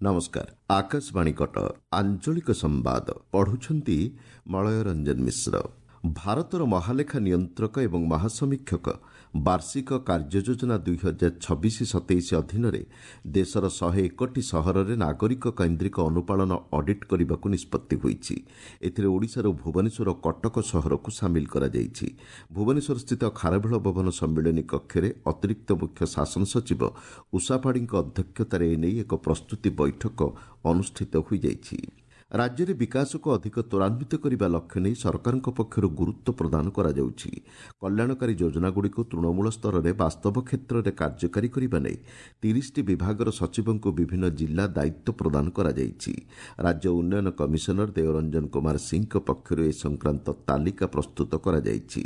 ନମସ୍କାର, ଆକାଶବାଣୀ କଟକ। ଆଞ୍ଚଳିକ ସମ୍ବାଦ ପଢୁଛନ୍ତି ମଳୟ ରଞ୍ଜନ ମିଶ୍ର। ଭାରତର ମହାଲେଖା ନିୟନ୍ତ୍ରକ ଏବଂ ମହାସମୀକ୍ଷକ ବାର୍ଷିକ କାର୍ଯ୍ୟଯୋଜନା 2026-27 ଅଧୀନରେ ଦେଶର 101ଟି ସହରରେ ନାଗରିକ କୈନ୍ଦ୍ରିକ ଅନୁପାଳନ ଅଡିଟ୍ କରିବାକୁ ନିଷ୍ପତ୍ତି ହୋଇଛି। ଏଥିରେ ଓଡ଼ିଶାରୁ ଭୁବନେଶ୍ୱର ଓ କଟକ ସହରକୁ ସାମିଲ କରାଯାଇଛି। ଭୁବନେଶ୍ୱରସ୍ଥିତ ଖାରବେଳ ଭବନ ସମ୍ମିଳନୀ କକ୍ଷରେ ଅତିରିକ୍ତ ମୁଖ୍ୟ ଶାସନ ସଚିବ ଉଷା ପାଢ଼ୀଙ୍କ ଅଧ୍ୟକ୍ଷତାରେ ଏନେଇ ଏକ ପ୍ରସ୍ତୁତି ବୈଠକ ଅନୁଷ୍ଠିତ ହୋଇଯାଇଛି। ରାଜ୍ୟରେ ବିକାଶକୁ ଅଧିକ ତ୍ୱରାନ୍ୱିତ କରିବା ଲକ୍ଷ୍ୟ ନେଇ ସରକାରଙ୍କ ପକ୍ଷରୁ ଗୁରୁତ୍ୱ ପ୍ରଦାନ କରାଯାଉଛି। କଲ୍ୟାଣକାରୀ ଯୋଜନାଗୁଡ଼ିକୁ ତୃଣମୂଳ ସ୍ତରରେ ବାସ୍ତବ କ୍ଷେତ୍ରରେ କାର୍ଯ୍ୟକାରୀ କରିବା ନେଇ 30ଟି ବିଭାଗର ସଚିବଙ୍କୁ ବିଭିନ୍ନ ଜିଲ୍ଲା ଦାୟିତ୍ୱ ପ୍ରଦାନ କରାଯାଇଛି। ରାଜ୍ୟ ଉନ୍ନୟନ କମିଶନର ଦେଓରଞ୍ଜନ କୁମାର ସିଂଙ୍କ ପକ୍ଷରୁ ଏ ସଂକ୍ରାନ୍ତ ତାଲିକା ପ୍ରସ୍ତୁତ କରାଯାଇଛି।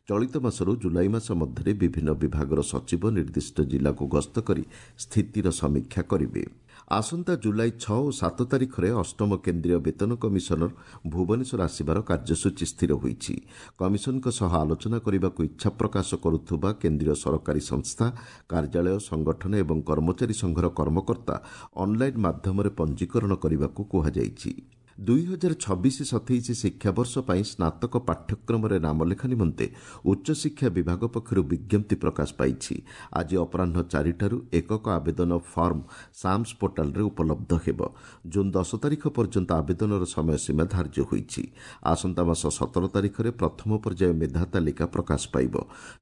ଚଳିତ ମାସରୁ ଜୁଲାଇ ମାସ ମଧ୍ୟରେ ବିଭିନ୍ନ ବିଭାଗର ସଚିବ ନିର୍ଦ୍ଦିଷ୍ଟ ଜିଲ୍ଲାକୁ ଗସ୍ତ କରି ସ୍ଥିତିର ସମୀକ୍ଷା କରିବେ। ଆସନ୍ତା ଜୁଲାଇ 6 ଓ 7 ତାରିଖରେ ଅଷ୍ଟମ କେନ୍ଦ୍ରୀୟ ବେତନ କମିଶନର ଭୁବନେଶ୍ୱର ଆସିବାର କାର୍ଯ୍ୟସୂଚୀ ସ୍ଥିର ହୋଇଛି। କମିଶନଙ୍କ ସହ ଆଲୋଚନା କରିବାକୁ ଇଚ୍ଛା ପ୍ରକାଶ କରୁଥିବା କେନ୍ଦ୍ରୀୟ ସରକାରୀ ସଂସ୍ଥା, କାର୍ଯ୍ୟାଳୟ, ସଂଗଠନ ଏବଂ କର୍ମଚାରୀ ସଂଘର କର୍ମକର୍ତ୍ତା ଅନ୍ଲାଇନ୍ ମାଧ୍ୟମରେ ପଞ୍ଜୀକରଣ କରିବାକୁ କୁହାଯାଇଛି। 2026-27 ଶିକ୍ଷାବର୍ଷ ପାଇଁ ସ୍ନାତକ ପାଠ୍ୟକ୍ରମରେ ନାମଲେଖା ନିମନ୍ତେ ଉଚ୍ଚଶିକ୍ଷା ବିଭାଗ ପକ୍ଷରୁ ବିଜ୍ଞପ୍ତି ପ୍ରକାଶ ପାଇଛି। ଆଜି ଅପରାହ୍ନ 4ଟାରୁ ଏକକ ଆବେଦନ ଫର୍ମ ସାମ୍ସ ପୋର୍ଟାଲରେ ଉପଲବ୍ଧ ହେବ। ଜୁନ୍ 10 ତାରିଖ ପର୍ଯ୍ୟନ୍ତ ଆବେଦନର ସମୟସୀମା ଧାର୍ଯ୍ୟ ହୋଇଛି। ଆସନ୍ତା ମାସ 17 ତାରିଖରେ ପ୍ରଥମ ପର୍ଯ୍ୟାୟ ମେଧା ତାଲିକା ପ୍ରକାଶ ପାଇବ।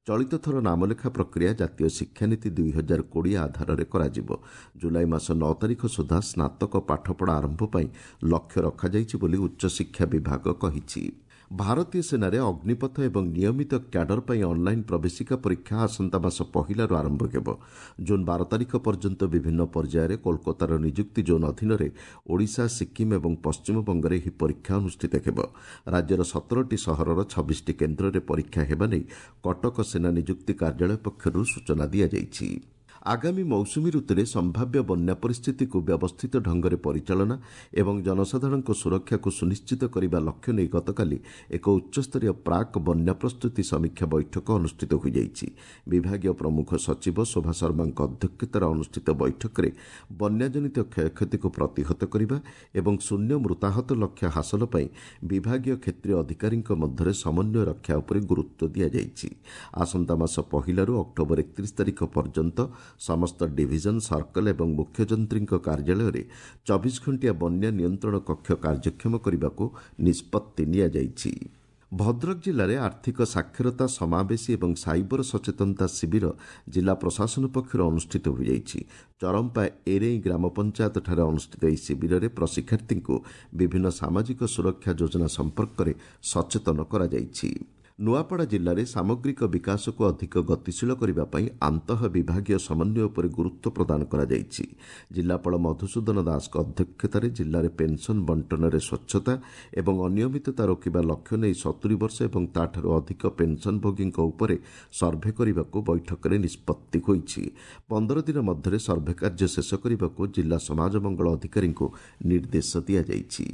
ଚଳିତ ଥର ନାମଲେଖା ପ୍ରକ୍ରିୟା ଜାତୀୟ ଶିକ୍ଷାନୀତି 2020 ଆଧାରରେ କରାଯିବ। ଜୁଲାଇ ମାସ 9 ତାରିଖ ସୁଦ୍ଧା ସ୍ନାତକ ପାଠପଢ଼ା ଆରମ୍ଭ ପାଇଁ ଲକ୍ଷ୍ୟ ରଖାଯାଇଛି ବୋଲି ଉଚ୍ଚଶିକ୍ଷା ବିଭାଗ କହିଛି। ଭାରତୀୟ ସେନାରେ ଅଗ୍ନିପଥ ଏବଂ ନିୟମିତ କ୍ୟାଡର ପାଇଁ ଅନ୍ଲାଇନ୍ ପ୍ରବେଶିକା ପରୀକ୍ଷା ଆସନ୍ତା ମାସ 1ଲାରୁ ଆରମ୍ଭ ହେବ। ଜୁନ୍ 12 ତାରିଖ ପର୍ଯ୍ୟନ୍ତ ବିଭିନ୍ନ ପର୍ଯ୍ୟାୟରେ କୋଲକାତାର ନିଯୁକ୍ତି ଜୋନ୍ ଅଧୀନରେ ଓଡ଼ିଶା, ସିକ୍କିମ୍ ଏବଂ ପଶ୍ଚିମବଙ୍ଗରେ ଏହି ପରୀକ୍ଷା ଅନୁଷ୍ଠିତ ହେବ। ରାଜ୍ୟର 17ଟି ସହରର 26ଟି କେନ୍ଦ୍ରରେ ପରୀକ୍ଷା ହେବା ନେଇ କଟକ ସେନା ନିଯୁକ୍ତି କାର୍ଯ୍ୟାଳୟ ପକ୍ଷରୁ ସୂଚନା ଦିଆଯାଇଛି। ଆଗାମୀ ମୌସୁମୀ ଋତୁରେ ସମ୍ଭାବ୍ୟ ବନ୍ୟା ପରିସ୍ଥିତିକୁ ବ୍ୟବସ୍ଥିତ ଢଙ୍ଗରେ ପରିଚାଳନା ଏବଂ ଜନସାଧାରଣଙ୍କ ସୁରକ୍ଷାକୁ ସୁନିଶ୍ଚିତ କରିବା ଲକ୍ଷ୍ୟ ନେଇ ଗତକାଲି ଏକ ଉଚ୍ଚସ୍ତରୀୟ ପ୍ରାକ୍ ବନ୍ୟା ପ୍ରସ୍ତୁତି ସମୀକ୍ଷା ବୈଠକ ଅନୁଷ୍ଠିତ ହୋଇଯାଇଛି। ବିଭାଗୀୟ ପ୍ରମୁଖ ସଚିବ ଶୋଭା ଶର୍ମାଙ୍କ ଅଧ୍ୟକ୍ଷତାରେ ଅନୁଷ୍ଠିତ ବୈଠକରେ ବନ୍ୟାଜନିତ କ୍ଷୟକ୍ଷତିକୁ ପ୍ରତିହତ କରିବା ଏବଂ ଶୂନ୍ୟ ମୃତାହତ ଲକ୍ଷ୍ୟ ହାସଲ ପାଇଁ ବିଭାଗୀୟ କ୍ଷେତ୍ରୀୟ ଅଧିକାରୀଙ୍କ ମଧ୍ୟରେ ସମନ୍ୱୟ ରକ୍ଷା ଉପରେ ଗୁରୁତ୍ୱ ଦିଆଯାଇଛି। ଆସନ୍ତା ମାସ 1ଲାରୁ ଅକ୍ଟୋବର 31 ତାରିଖ ପର୍ଯ୍ୟନ୍ତ ସମସ୍ତ ଡିଭିଜନ, ସର୍କଲ ଏବଂ ମୁଖ୍ୟଯନ୍ତ୍ରୀଙ୍କ କାର୍ଯ୍ୟାଳୟରେ 24 ଘଣ୍ଟିଆ ବନ୍ୟା ନିୟନ୍ତ୍ରଣ କକ୍ଷ କାର୍ଯ୍ୟକ୍ଷମ କରିବାକୁ ନିଷ୍ପତ୍ତି ନିଆଯାଇଛି। ଭଦ୍ରକ ଜିଲ୍ଲାରେ ଆର୍ଥିକ ସାକ୍ଷରତା, ସମାବେଶୀ ଏବଂ ସାଇବର ସଚେତନତା ଶିବିର ଜିଲ୍ଲା ପ୍ରଶାସନ ପକ୍ଷରୁ ଅନୁଷ୍ଠିତ ହୋଇଯାଇଛି। ଚରମ୍ପା ଏରେଇ ଗ୍ରାମ ପଞ୍ଚାୟତଠାରେ ଅନୁଷ୍ଠିତ ଏହି ଶିବିରରେ ପ୍ରଶିକ୍ଷାର୍ଥୀଙ୍କୁ ବିଭିନ୍ନ ସାମାଜିକ ସୁରକ୍ଷା ଯୋଜନା ସମ୍ପର୍କରେ ସଚେତନ କରାଯାଇଛି। ନୂଆପଡ଼ା ଜିଲ୍ଲାରେ ସାମଗ୍ରିକ ବିକାଶକୁ ଅଧିକ ଗତିଶୀଳ କରିବା ପାଇଁ ଆନ୍ତଃ ବିଭାଗୀୟ ସମନ୍ୱୟ ଉପରେ ଗୁରୁତ୍ୱ ପ୍ରଦାନ କରାଯାଇଛି। ଜିଲ୍ଲାପାଳ ମଧୁସୂଦନ ଦାସଙ୍କ ଅଧ୍ୟକ୍ଷତାରେ ଜିଲ୍ଲାରେ ପେନ୍ସନ୍ ବଣ୍ଟନରେ ସ୍ୱଚ୍ଛତା ଏବଂ ଅନିୟମିତତା ରୋକିବା ଲକ୍ଷ୍ୟ ନେଇ 70 ବର୍ଷ ଏବଂ ତାଠାରୁ ଅଧିକ ପେନ୍ସନ୍ଭୋଗୀଙ୍କ ଉପରେ ସର୍ଭେ କରିବାକୁ ବୈଠକରେ ନିଷ୍ପତ୍ତି ହୋଇଛି। 15 ଦିନ ମଧ୍ୟରେ ସର୍ଭେ କାର୍ଯ୍ୟ ଶେଷ କରିବାକୁ ଜିଲ୍ଲା ସମାଜ ମଙ୍ଗଳ ଅଧିକାରୀଙ୍କୁ ନିର୍ଦ୍ଦେଶ ଦିଆଯାଇଛି।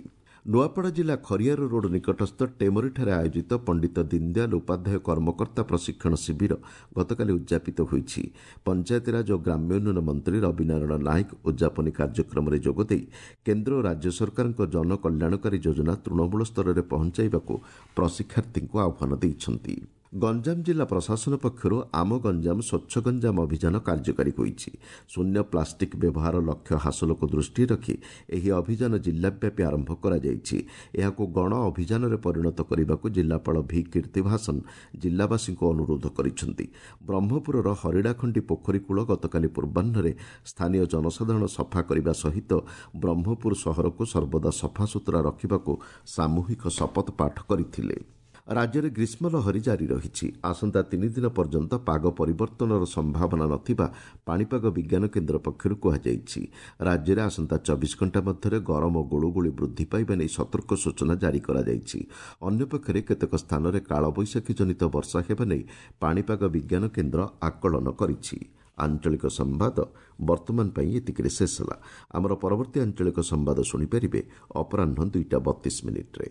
ନୂଆପଡ଼ା ଜିଲ୍ଲା ଖରିଆର ରୋଡ୍ ନିକଟସ୍ଥ ଟେମରିଠାରେ ଆୟୋଜିତ ପଣ୍ଡିତ ଦୀନଦୟାଲ ଉପାଧ୍ୟାୟ କର୍ମକର୍ତ୍ତା ପ୍ରଶିକ୍ଷଣ ଶିବିର ଗତକାଲି ଉଦ୍ଯାପିତ ହୋଇଛି। ପଞ୍ଚାୟତିରାଜ ଓ ଗ୍ରାମ୍ୟ ଉନ୍ନୟନ ମନ୍ତ୍ରୀ ରବିନାରାୟଣ ନାୟକ ଉଦ୍ଯାପନୀ କାର୍ଯ୍ୟକ୍ରମରେ ଯୋଗଦେଇ କେନ୍ଦ୍ର ଓ ରାଜ୍ୟ ସରକାରଙ୍କ ଜନକଲ୍ୟାଣକାରୀ ଯୋଜନା ତୃଣମୂଳ ସ୍ତରରେ ପହଞ୍ଚାଇବାକୁ ପ୍ରଶିକ୍ଷାର୍ଥୀଙ୍କୁ ଆହ୍ୱାନ ଦେଇଛନ୍ତି। ଗଞ୍ଜାମ ଜିଲ୍ଲା ପ୍ରଶାସନ ପକ୍ଷରୁ ଆମ ଗଞ୍ଜାମ ସ୍ୱଚ୍ଛ ଗଞ୍ଜାମ ଅଭିଯାନ କାର୍ଯ୍ୟକାରୀ ହୋଇଛି। ଶୂନ୍ୟ ପ୍ଲାଷ୍ଟିକ୍ ବ୍ୟବହାର ଲକ୍ଷ୍ୟ ହାସଲକୁ ଦୃଷ୍ଟିରେ ରଖି ଏହି ଅଭିଯାନ ଜିଲ୍ଲାବ୍ୟାପୀ ଆରମ୍ଭ କରାଯାଇଛି। ଏହାକୁ ଗଣ ଅଭିଯାନରେ ପରିଣତ କରିବାକୁ ଜିଲ୍ଲାପାଳ ଭି କୀର୍ତ୍ତିଭାସନ ଜିଲ୍ଲାବାସୀଙ୍କୁ ଅନୁରୋଧ କରିଛନ୍ତି। ବ୍ରହ୍ମପୁରର ହରିଡ଼ାଖଣ୍ଡି ପୋଖରୀ କୂଳ ଗତକାଲି ପୂର୍ବାହ୍ନରେ ସ୍ଥାନୀୟ ଜନସାଧାରଣ ସଫା କରିବା ସହିତ ବ୍ରହ୍ମପୁର ସହରକୁ ସର୍ବଦା ସଫାସୁତୁରା ରଖିବାକୁ ସାମୂହିକ ଶପଥ ପାଠ କରିଥିଲେ। ରାଜ୍ୟରେ ଗ୍ରୀଷ୍ମ ଲହରୀ ଜାରି ରହିଛି। ଆସନ୍ତା 3 ଦିନ ପର୍ଯ୍ୟନ୍ତ ପାଗ ପରିବର୍ତ୍ତନର ସମ୍ଭାବନା ନଥିବା ପାଣିପାଗ ବିଜ୍ଞାନ କେନ୍ଦ୍ର ପକ୍ଷରୁ କୁହାଯାଇଛି। ରାଜ୍ୟରେ ଆସନ୍ତା 24 ଘଣ୍ଟା ମଧ୍ୟରେ ଗରମ ଓ ଗୁଳୁଗୁଳି ବୃଦ୍ଧି ପାଇବା ନେଇ ସତର୍କ ସୂଚନା ଜାରି କରାଯାଇଛି। ଅନ୍ୟପକ୍ଷରେ କେତେକ ସ୍ଥାନରେ କାଳବୈଶାଖୀ ଜନିତ ବର୍ଷା ହେବା ନେଇ ପାଣିପାଗ ବିଜ୍ଞାନ କେନ୍ଦ୍ର ଆକଳନ କରିଛି। ଆଞ୍ଚଳିକ ସମ୍ବାଦ ବର୍ତ୍ତମାନ ପାଇଁ ଏତିକିରେ ଶେଷ ହେଲା। ଆମର ପରବର୍ତ୍ତୀ ଆଞ୍ଚଳିକ ସମ୍ବାଦ ଶୁଣିପାରିବେ ଅପରାହ୍ନ 2ଟା 32 ମିନିଟ୍ରେ।